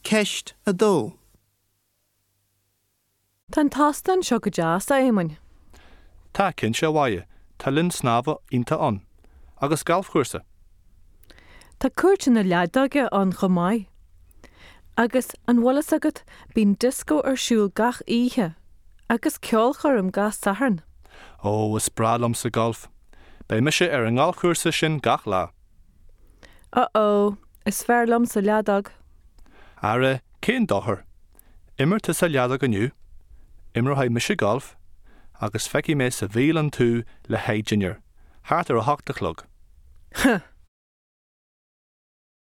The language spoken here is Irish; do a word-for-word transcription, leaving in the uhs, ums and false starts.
Ceist a dó. Tá an t-óstán seo go deas, a Éamoinn. Tá cinnte, a Mháire, tá linn snámha iontach ann. Agus galfchúrsa. Tá cúirteanna leadóige ann chomh maith. Agus an bhfuil a fhios agat bíonn dioscó ar siúl gach oíche, agus ceolchoirm gach Satharn. Ó is breá liomsa galf. Beidh mise ar an ngalfchúrsa sin gach lá. Uh-oh, is fearr liomsa leadóg. Ara cén dochar. Imir tusa leadóg inniu, Imreoidh mise galf, agus feicfidh mé sa bhialann tú le haghaidh dinnéar, thart ar a hocht a chlog.